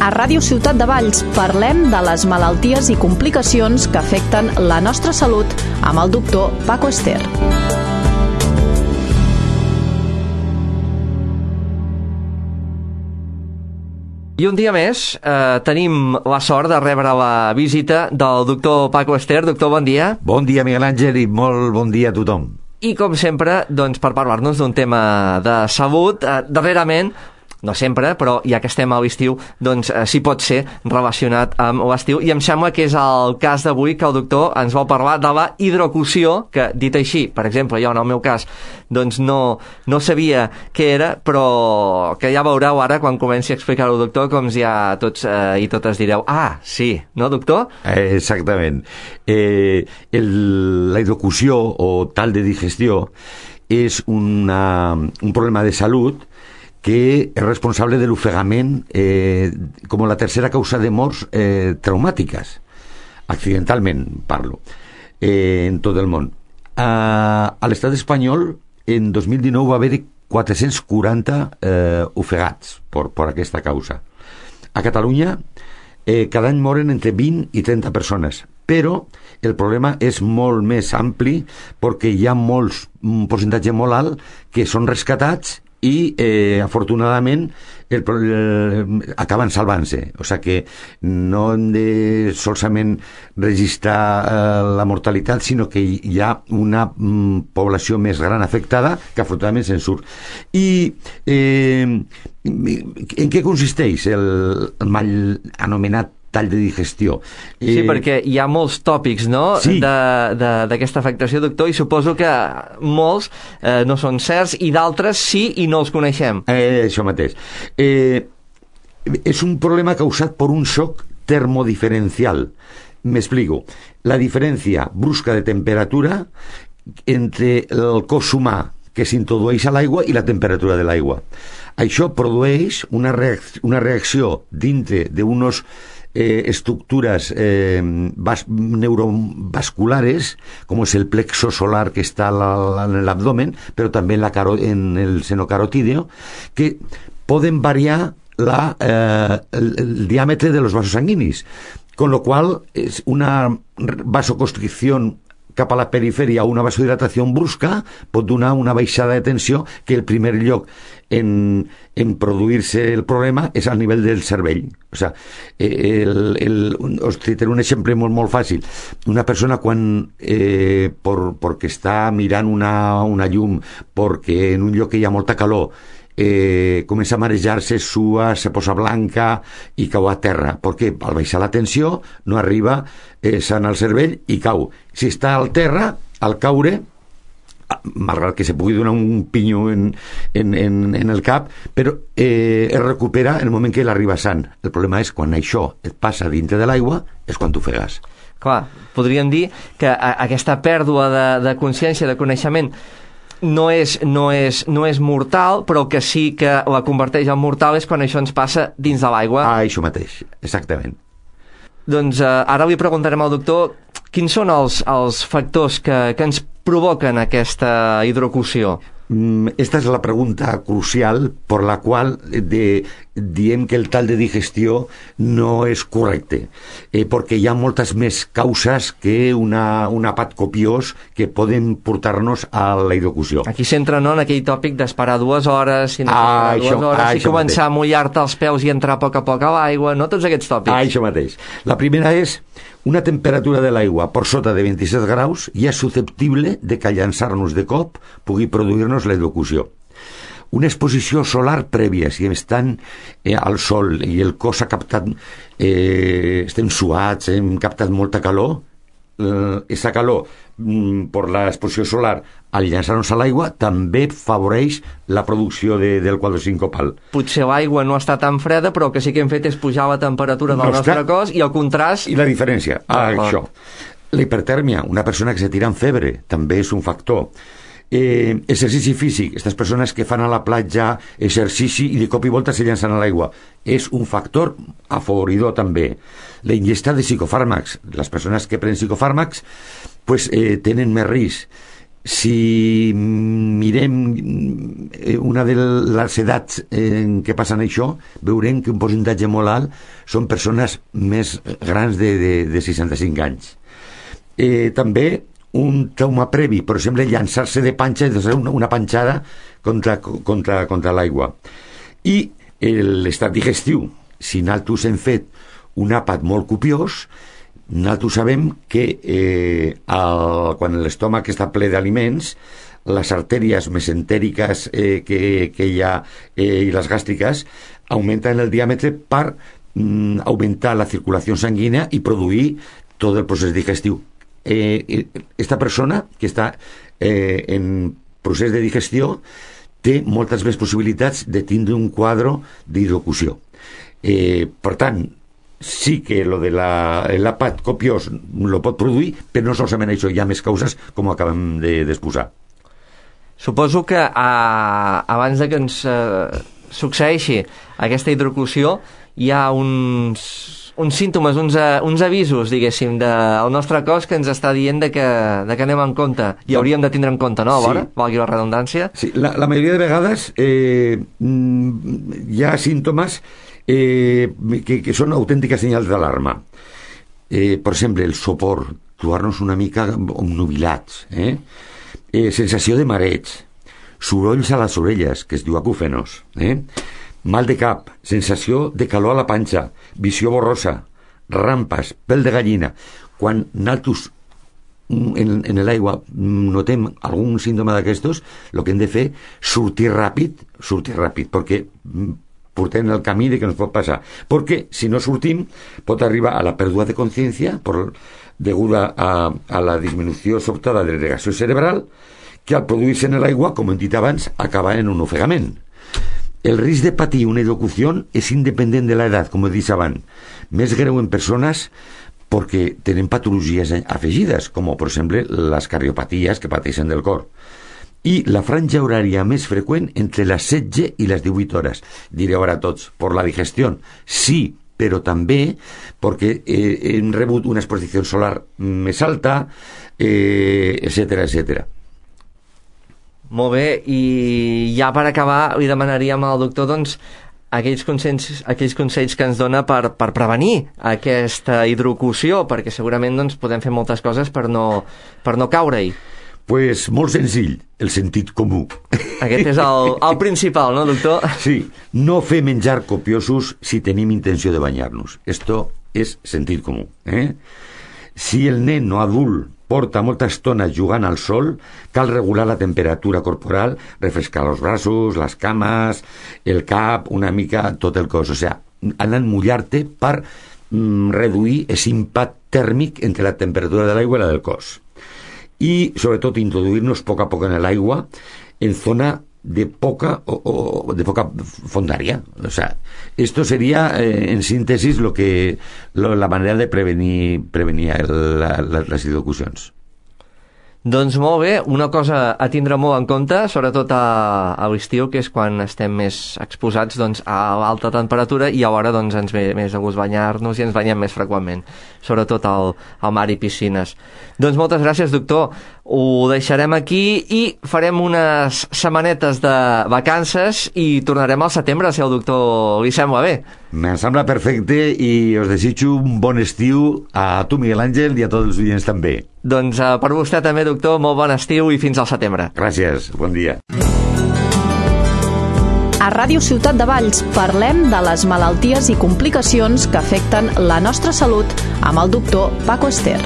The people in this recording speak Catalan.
A Ràdio Ciutat de Valls parlem de les malalties i complicacions que afecten la nostra salut amb el doctor Paco Ester. I un dia més tenim la sort de rebre la visita del doctor Paco Ester. Doctor, bon dia. Bon dia, Miguel Àngel, i molt bon dia a tothom. I com sempre, doncs, per parlar-nos d'un tema de salut, darrerament, no sempre, però ja que estem a l'estiu, doncs sí pot ser relacionat amb l'estiu, i em sembla que és el cas d'avui que el doctor ens vol parlar de la hidrocució, que dit així, per exemple, jo en el meu cas, doncs no sabia què era, però que ja veureu ara quan comenci a explicar-ho, doctor, com ja tots i totes direu, ah, sí, no, doctor? Exactament. La hidrocució o tal de digestió és un problema de salut que és responsable de l'ofegament com la tercera causa de morts traumàtiques, accidentalment parlo, en tot el món. A l'estat espanyol en 2019 va haver-hi 440 ofegats per aquesta causa. A Catalunya cada any moren entre 20 i 30 persones, però el problema és molt més ampli perquè hi ha un percentatge molt alt que són rescatats i afortunadament acaben salvant-se, o sigui que no hem de solament registrar la mortalitat, sinó que hi ha una població més gran afectada que afortunadament se'n surt. I en què consisteix el mal anomenat tall de digestió? Sí, perquè hi ha molts tòpics, no?, sí, d'aquesta afectació, doctor, i suposo que molts no són certs i d'altres sí i no els coneixem. Això mateix. És un problema causat per un shock termodiferencial. Me explico. La diferència brusca de temperatura entre el cos humà que s'introdueix a l'aigua i la temperatura de l'aigua. Això produeix una reacció dintre d'unos estructuras neurovasculares, como es el plexo solar que está en el abdomen, pero también en el seno carotídeo, que pueden variar el diámetro de los vasos sanguíneos, con lo cual es una vasoconstricción cap a la perifèria o una vasodilatació brusca pot donar una baixada de tensió que el primer lloc en produir-se el problema és al nivell del cervell. O sigui, us citaré un exemple molt fàcil. Una persona quan perquè està mirant una llum, perquè en un lloc que hi ha molta calor comença a marejar-se, sua, se posa blanca i cau a terra, perquè al baixar la tensió no arriba sant al cervell i cau. Si està al terra, al caure, malgrat que se pugui donar un pinyo en el cap, però es recupera en el moment que l'arriba sant. El problema és quan això et passa dintre de l'aigua, és quan t'ofegues. Clar, podríem dir que aquesta pèrdua de consciència, de coneixement, no és mortal, però que sí que la converteix en mortal és quan això ens passa dins de l'aigua. Això mateix, exactament. Doncs ara li preguntarem al doctor quins són els factors que ens provoquen aquesta hidrocució. Esta és la pregunta crucial per la qual diem que el tall de digestió no és correcte, perquè hi ha moltes més causes que un àpat copiós que poden portar-nos a la hidrocució. Aquí s'entra, no?, en aquell tòpic d'esperar 2 hores, si no esperar 2 hores, si començar a mullar-te els peus i entrar a poc a l'aigua, no?, tots aquests tòpics. Això mateix. La primera és una temperatura de l'aigua per sota de 27 graus ja és susceptible de que llançar-nos de cop pugui produir-nos la hidrocució. Una exposició solar prèvia, si estan al sol i el cos ha captat, estem suats, hem captat molta calor, aquesta calor per l'exposició solar al llançar-nos a l'aigua també favoreix la producció del quadre sincopal. Potser l'aigua no està tan freda, però que sí que hem fet és pujar la temperatura del nostre cos i el contrast... I la diferència, això. La hipertèrmia, una persona que se tira en febre, també és un factor. Exercici físic, aquestes persones que fan a la platja exercici i de cop i volta se llancen a l'aigua, és un factor afavoridor també. La ingesta de psicofàrmacs, les persones que prenen psicofàrmacs tenen més risc. si mirem una de les edats en què passen això, veurem que un percentatge molt alt són persones més grans de 65 anys. També un trauma previ, per exemple, llançar-se de panxa, una panxada contra l'aigua. I l'estat digestiu, si nosaltres hem fet un àpat molt copiós, nosaltres sabem que quan l'estómac està ple d'aliments, les artèries mesentèriques que hi ha i les gàstriques augmenten el diàmetre per augmentar la circulació sanguínea i produir tot el procés digestiu. Esta persona que està en procés de digestió té moltes més possibilitats de tindre un quadre d'hidrocució. Per tant, sí que lo de l'àpat copiós lo pot produir, però no solament això, hi ha més causes com acabem d'exposar. Suposo que abans de que ens succeeixi aquesta hidrocució hi ha uns símptomes, uns avisos, diguéssim, del nostre cos que ens està dient de que anem en compte i hauríem de tindre en compte, no? Alhora, sí. Valgui la redundància. Sí, la majoria de vegades hi ha símptomes que són autèntiques senyals d'alarma. Per exemple, el sopor, trobar-nos una mica nubilats, sensació de mareig, sorolls a les orelles, que es diu acúfenos, mal de cap, sensació de calor a la panxa, visió borrosa, rampes, pèl de gallina. Quan nosaltres en l'aigua notem algun símptoma d'aquestos, el que hem de fer és sortir ràpid, perquè portem el camí de que ens pot passar. Perquè si no sortim pot arribar a la pèrdua de consciència deguda a la disminució sobtada de l'agregació cerebral, que al produir-se en l'aigua, com hem dit abans, acaba en un ofegament. El risc de patir una hidrocució és independent de l'edat, com he dit abans. Més greu en persones perquè tenen patologies afegides, com per exemple les cardiopaties que pateixen del cor. I la franja horària més freqüent entre les 16 i les 18 hores. Direu ara tots, per la digestió. Sí, però també perquè hem rebut una exposició solar més alta, etc. Molt bé, i ja per acabar li demanaríem al doctor doncs, aquells consells que ens dona per prevenir aquesta hidrocució, perquè segurament doncs, podem fer moltes coses per no caure-hi. Pues molt senzill, el sentit comú. Aquest és el principal, no, doctor? Sí, no fer menjar copiosos si tenim intenció de banyar-nos. Esto és sentit comú. Si el nen no adult porta molta estona jugant al sol, cal regular la temperatura corporal, refrescar els braços, les cames, el cap, una mica tot el cos. O sigui, anar a mullar-te per reduir aquest impacte tèrmic entre la temperatura de l'aigua i la del cos. Y sobre todo introduirnos poco a poco en el agua en zona de poca o de poca fondaria. O sea, esto sería en síntesis la manera de prevenir las hidrocucions. Doncs molt bé, una cosa a tindre molt en compte, sobretot a l'estiu, que és quan estem més exposats doncs, a l'alta temperatura i alhora doncs, ens ve més de gust banyar-nos i ens banyem més freqüentment, sobretot al mar i piscines. Doncs moltes gràcies, doctor. Ho deixarem aquí i farem unes setmanetes de vacances i tornarem al setembre, si el doctor li sembla bé. Me sembla perfecte i us desitjo un bon estiu a tu, Miguel Àngel, i a tots els oients també. Doncs per vostè també, doctor, molt bon estiu i fins al setembre. Gràcies, bon dia. A Ràdio Ciutat de Valls parlem de les malalties i complicacions que afecten la nostra salut amb el doctor Paco Ester.